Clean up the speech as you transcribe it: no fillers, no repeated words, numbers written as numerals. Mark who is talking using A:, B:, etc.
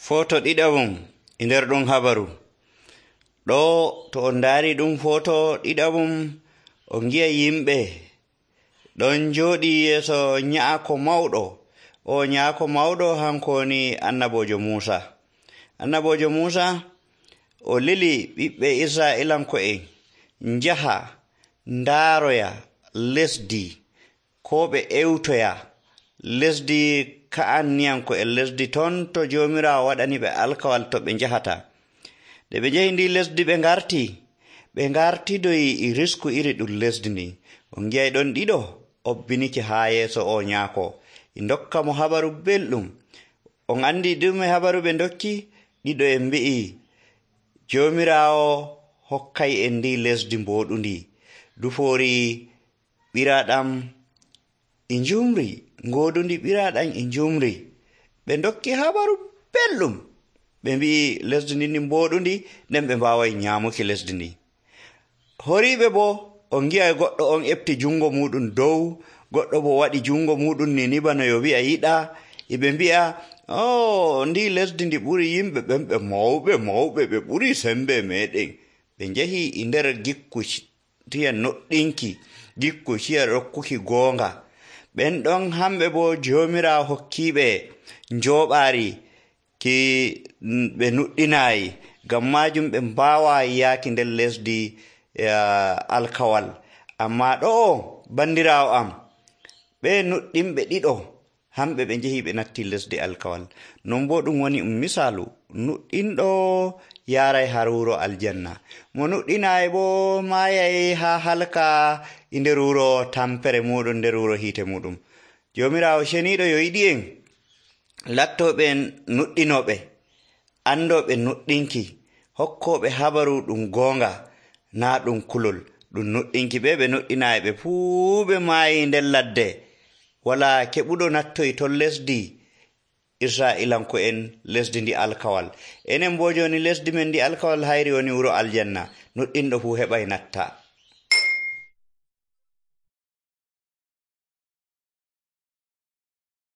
A: Foto ɗiɗaɓum e nder ɗum habaru. Ɗo to on ndaari ɗum foto ɗiɗaɓum on gi'a yimɓe ɗon jooɗi yeeso nyaako mawɗo. O nyaako mawɗo hanko woni annabojo Muusa. Annabojo Muusa o lili ɓiɓɓe Israa'ilanko'en njaha ndaaroya lesdi koo ɓe ewtoya lesdi Ka'anniyanko'en, lesdi ton to Joomiraawo waɗani ɓe alkawal to ɓe njahata. Nde ɓe njahi ndi lesdi ɓe ngartidoyi e risku iri ɗum lesdi ndi. On gi'ay ɗon ɗiɗo obbinike haa yeeso o nyaako. E ndokka mo habaru belɗum. On anndi ɗume habaru ɓe ndokki? Ɗiɗo en mbi'i Joomiraawo hokkay en ndi lesdi mbooɗundi. Dufoori ɓiraaɗam e njumri, ngoodundi ɓiraaɗam e njumri. Ɓe ndokki habaru belɗum. Ɓe mbi'i lesdi ndi mbooɗundi, nden ɓe mbaaway nyaamuki lesdi ndi. Horiiɓe boo on ngi'ay goɗɗo on efti junngo muɗum dow, goɗɗo boo waɗi junngo muɗum ni bano yo wi'a yiɗa. Ɓe mbi'a ndi lesdi ndi ɓuri yimɓe ɓen ɓe mawɓe ɓe ɓuri sembe meɗen. Ɓe njahi e nder gikku tiya noɗɗinki, gikku tiya rokkuki goonga. Ɓen ɗon hamɓe boo Joomiraawo hokkiiɓe njooɓaari ki ɓe nuɗɗinaayi, ngam maajum ɓe mbaawaayi yaaki nder lesdi alkawal. Ammaa ɗo'o bandiraawo am, ɓe nuɗɗinɓe ɗiɗo hamɓe ɓe njehi ɓe natti lesdi alkawal. Non boo ɗum woni misaalu, nuɗɗinɗo yaaray har wuro aljanna, mo nuɗɗinaayi boo maayay haa halka e nder wuro tampere muɗum, nder wuro hiite muɗum. Joomiraawo ceniiɗo yo yiɗi en lattooɓe nuɗɗinooɓe, andooɓe nuɗɗinki, hokkooɓe habaru ɗum goonga, naa ɗum kulol. Ɗum nuɗɗinki ɓe nuɗɗinaayi ɓe fuu ɓe maayi nder ladde. Walaa keɓuɗo nattoy ton lesdi Israa'ilanko'en, lesdi ndi alkawal. Enen boo jooni lesdi men ndi alkawal hayri woni wuro aljanna. Nuɗɗinɗo fuu heɓay natta.